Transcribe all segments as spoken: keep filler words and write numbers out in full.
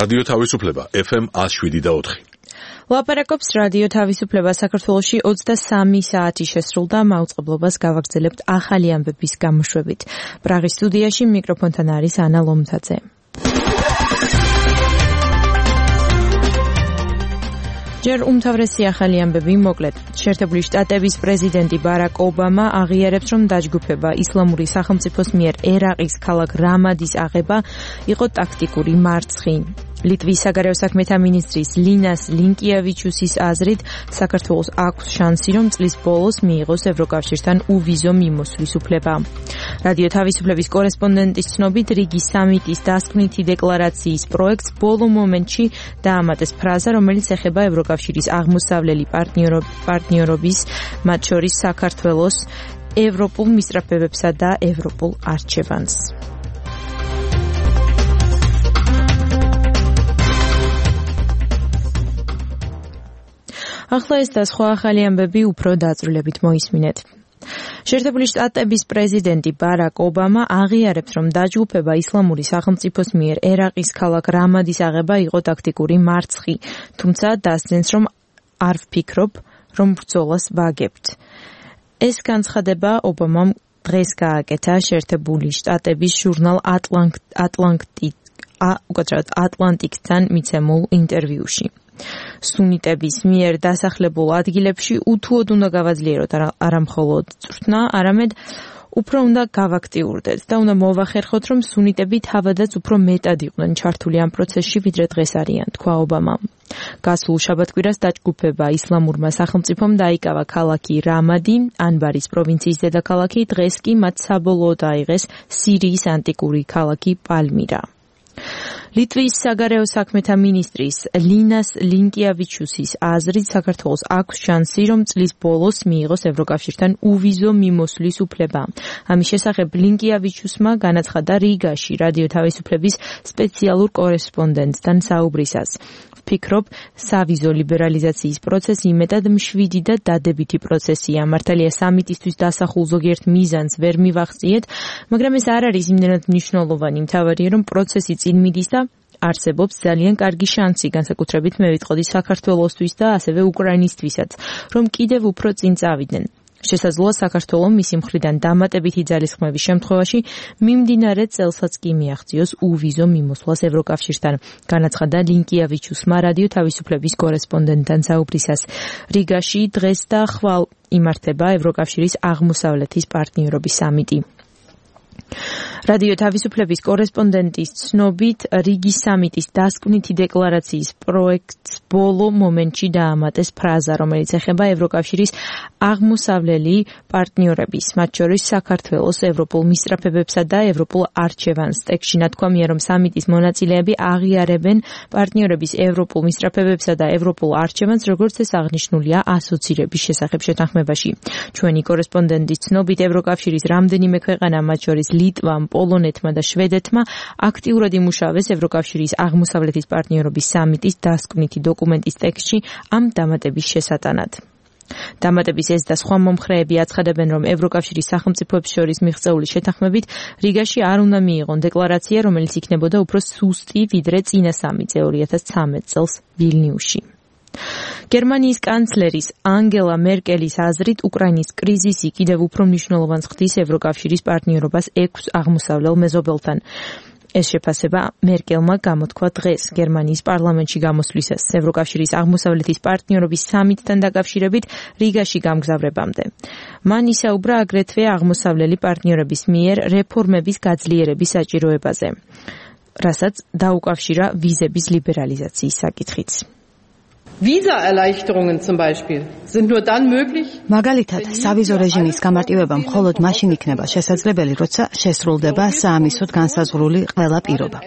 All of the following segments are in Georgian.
რადიო თავისუფლება ეფ ემ one oh seven point four. ლაპარაკობს რადიო თავისუფლება საქართველოში ოცდასამი საათი შესრულდა მაუწყებლობას გავაგრძელებთ ახალი ამბების გამოშვებით. პრაღის სტუდიაში მიკროფონთან არის ანა ლომთაძე. ჯერ უმთავრესი ახალი ამბები მოკლედ. შეერთებული შტატების პრეზიდენტი ბარაკ ობამა აღიარებს, რომ დაჯგუფება ისლამური სახელმწიფოს მიერ ერაყის ქალაქ რამადის აღება იყო ტაქტიკური მარცხი. ლიტვის საგარეო საქმეთა მინისტრის ლინას ლინკიევიჩუსის აზრით, საქართველოს აქვს შანსი, რომ წლის ბოლოს მიიღოს ევროკავშირთან უვიზო მიმოსვლის უფლება. რადიო თავისუფლების კორესპონდენტის ცნობით, რიგის სამიტის დასკვნითი დეკლარაციის პროექტს ბოლო მომენტში დაამატეს ფრაზა, რომელიც ეხება ევროკავშირის აღმოსავლელი პარტნიორობის, მათ შორის საქართველოს ევროპულ მისწრაფებებსა და ევროპულ არჩევანს. ახლა ეს და სხვა ახალი ამბები უფრო დაწვრილებით მოისმინეთ. შეერთებული შტატების პრეზიდენტი ბარაკ ობამა აღიარებს, რომ დაჯგუფება ისლამური სახელმწიფოს მიერ ერაყის ქალაქ რამადის აღება იყო ტაქტიკური მარცხი, თუმცა დასძენს, რომ არ ვფიქრობ, რომ ბრძოლას ვაგებთ. ეს განცხადება ობამამ დღეს გააკეთა შეერთებული შტატების ჟურნალ ატლანტიკთან მიცემულ ინტერვიუში. სუნიტების მიერ დასახლებულ ადგილებში უთუოდ უნდა გავაძლიეროთ არა მხოლოდ წვრთნა, არამედ უფრო უნდა გავაქტიურდეთ და უნდა მოვახერხოთ, რომ სუნიტები თავადაც უფრო მეტად იყვნენ ჩართული ამ პროცესში, ვიდრე დღეს არიან, თქვა ობამამ. გასულ შაბათკვირას დაჯგუფება ისლამურმა სახელმწიფომ დაიკავა ქალაქი რამადი, ანბარის პროვინციის დედაქალაქი, დღეს კი მათ საბოლოოდ აიღეს სირიის ანტიკური ქალაქი პალმირა. ლიტვის საგარეო საქმეთა მინისტრის ლინას ლინკიევიჩუსის აზრით, საქართველოს აქვს შანსი, რომ წლის ბოლოს მიიღოს ევროკავშირთან უვიზო მიმოსვლის უფლება. ამის შესახებ ლინკიევიჩუსმა განაცხადა რიგაში რადიო თავისუფლების სპეციალურ კორესპონდენტთან საუბრისას. ვფიქრობ, სავიზო ლიბერალიზაციის პროცესი იმედად მშვიდი და დადებითი პროცესია. მართალია სამიტისთვის დასახულ ზოგიერთ მიზანს ვერ მივახციეთ, მაგრამ ეს არ არის იმდენად მნიშვნელოვანი. მთავარია, რომ პროცესი წინ მიდის და არსებობს ძალიან კარგი შანსი, განსაკუთრებით მე ვიტყოდი საქართველოსთვის და ასევე უკრაინისთვისაც, რომ კიდევ უფრო წინ წავიდნენ. შესაძლოა საქართველოს მისი მხრიდან დამატებითი ძალისხმევის შემთხვევაში მიმდინარე წელსაც კი მიაღწიოს უვიზო მიმოსვლას ევროკავშირთან, განაცხადა ლინკიევიჩუსმა რადიო თავისუფლების კორესპონდენტთან საუბრისას. რიგაში დღეს და ხვალ იმართება ევროკავშირის აღმოსავლეთის პარტნიორობის სამიტი. რადიო თავისუფლების კორესპონდენტის ცნობით, რიგის სამიტის დასკვნითი დეკლარაციის პროექტს ბოლო მომენტში დაამატეს ფრაზა, რომელიც ეხება ევროკავშირის აღმოსავლელი პარტნიორების, მათ შორის საქართველოს ევროპულ მისწრაფებებსა და ევროპულ არჩევანს. ტექსტში ნათქვამია, რომ სამიტის მონაწილეები აღიარებენ პარტნიორების ევროპულ მისწრაფებებსა და ევროპულ არჩევანს, როგორც ეს აღნიშნულია ასოცირების შესახებ შეთანხმებაში. ჩვენი კორესპონდენტის ცნობით, ევროკავშირის რამდენიმე ქვეყანა, მათ შორის ლიტვამ, პოლონეთმა და შვედეთმა აქტიურად იმუშავეს ევროკავშირის აღმოსავლეთის პარტნიორობის სამიტის დასკვნითი დოკუმენტის ტექსტში ამ დამატების შესატანად. დამატების ეს და სხვა მომხრეები აცხადებენ, რომ ევროკავშირის სახელმწიფოებს შორის მიღწეული შეთანხმებით რიგაში არ უნდა მიიღონ დეკლარაცია, რომელიც იქნებოდა უფრო სუსტი, ვიდრე წინა სამიტზე ორი ათას ცხრამეტ წელს ვილნიუსში. გერმანიის კანცლერის ანგელა მერკელის აზრით, უკრაინის კრიზისი კიდევ უფრო მნიშვნელოვანს ხდის ევროკავშირის პარტნიორობას ექვს აღმოსავლელ მეზობელთან. ეს შეფასება მერკელმა გამოთქვა დღეს გერმანიის პარლამენტში გამოსვლისას ევროკავშირის აღმოსავლეთის პარტნიორობის სამიტთან დაკავშირებით რიგაში გამგზავრებამდე. მან ისაუბრა აგრეთვე აღმოსავლელი პარტნიორების მიერ რეფორმების გაძლიერების საჭიროებაზე, რასაც დაუკავშირა ვიზების ლიბერალიზაციის საკითხიც. Visa-Erleichterungen zum Beispiel sind nur dann möglich. მაგალითად, სავიზო რეჟიმის გამარტივება მხოლოდ მაშინ იქნება შესაძლებელი, როცა შესრულდება საამისოდ განსაზღვრული ყველა პირობა.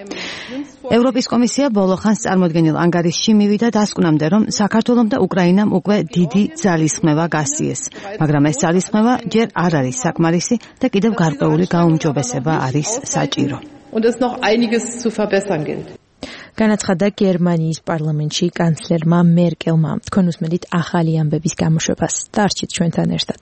ევროპის კომისია ბოლო ხანს წარმოდგენილ ანგარიშში მივიდა დასკვნამდე, რომ საქართველომ და უკრაინამ უკვე დიდი ძალისხმევა გასწიეს, მაგრამ ეს ძალისხმევა ჯერ არ არის საკმარისი და კიდევ გარკვეული გაუმჯობესება არის საჭირო. Und es noch einiges zu verbessern gilt. განაცხადა გერმანიის პარლამენტში კანცლერმა მერკელმა. თქვენ უსმენთ ახალი ამბების გამოშვებას. დარჩით ჩვენთან ერთად.